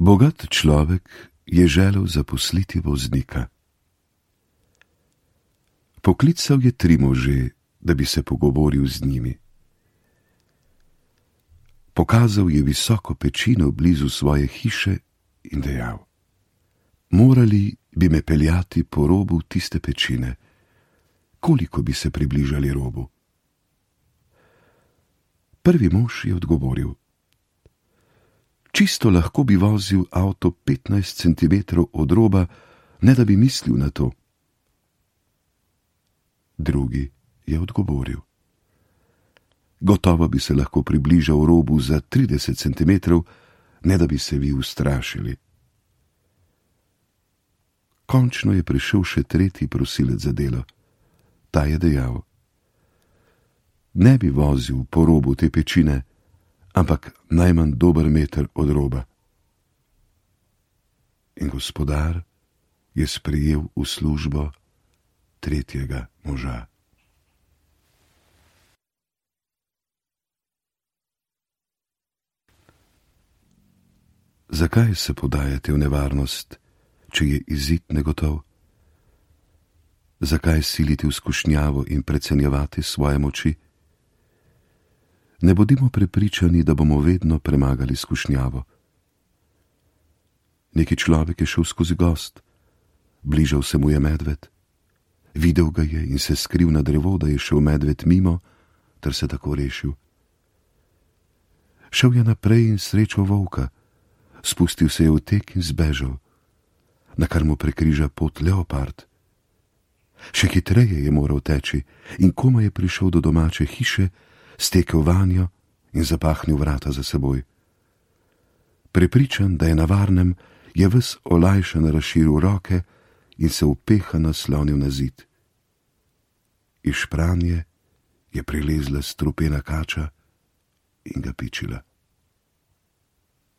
Bogat človek je želel zaposliti voznika. Poklical je 3 može, da bi se pogovoril z njimi. Pokazal je visoko pečino blizu svoje hiše in dejal: morali bi me peljati po robu tiste pečine. Koliko bi se približali robu? Prvi mož je odgovoril: čisto lahko bi vozil avto 15 centimetrov od roba, ne da bi mislil na to. Drugi je odgovoril: gotovo bi se lahko približal robu za 30 centimetrov, ne da bi se vi ustrašili. Končno je prišel še tretji prosilec za delo. Ta je dejal: ne bi vozil po robu te pečine, ampak najmanj dober meter od roba. In gospodar je sprejel v službo tretjega moža. Zakaj se podajate v nevarnost, če je izid negotov? Zakaj silite v skušnjavo in precenjevati svoje moči? Ne bodimo prepričani, da bomo vedno premagali skušnjavo. Neki človek je šel skozi gozd, bližal se mu je medved, videl ga je in se skril na drevo, da je šel medved mimo, ter se tako rešil. Šel je naprej in srečal volka, spustil se je v tek in zbežal, na kar mu prekriža pot leopard. Še hitreje je moral teči in komaj je prišel do domače hiše, stekel vanjo in zapahnil vrata za seboj. Prepričan, da je na varnem, je ves olajšan razširil roke in se upeha naslonil na zid. Iz špranje je prilezla strupena kača in ga pičila.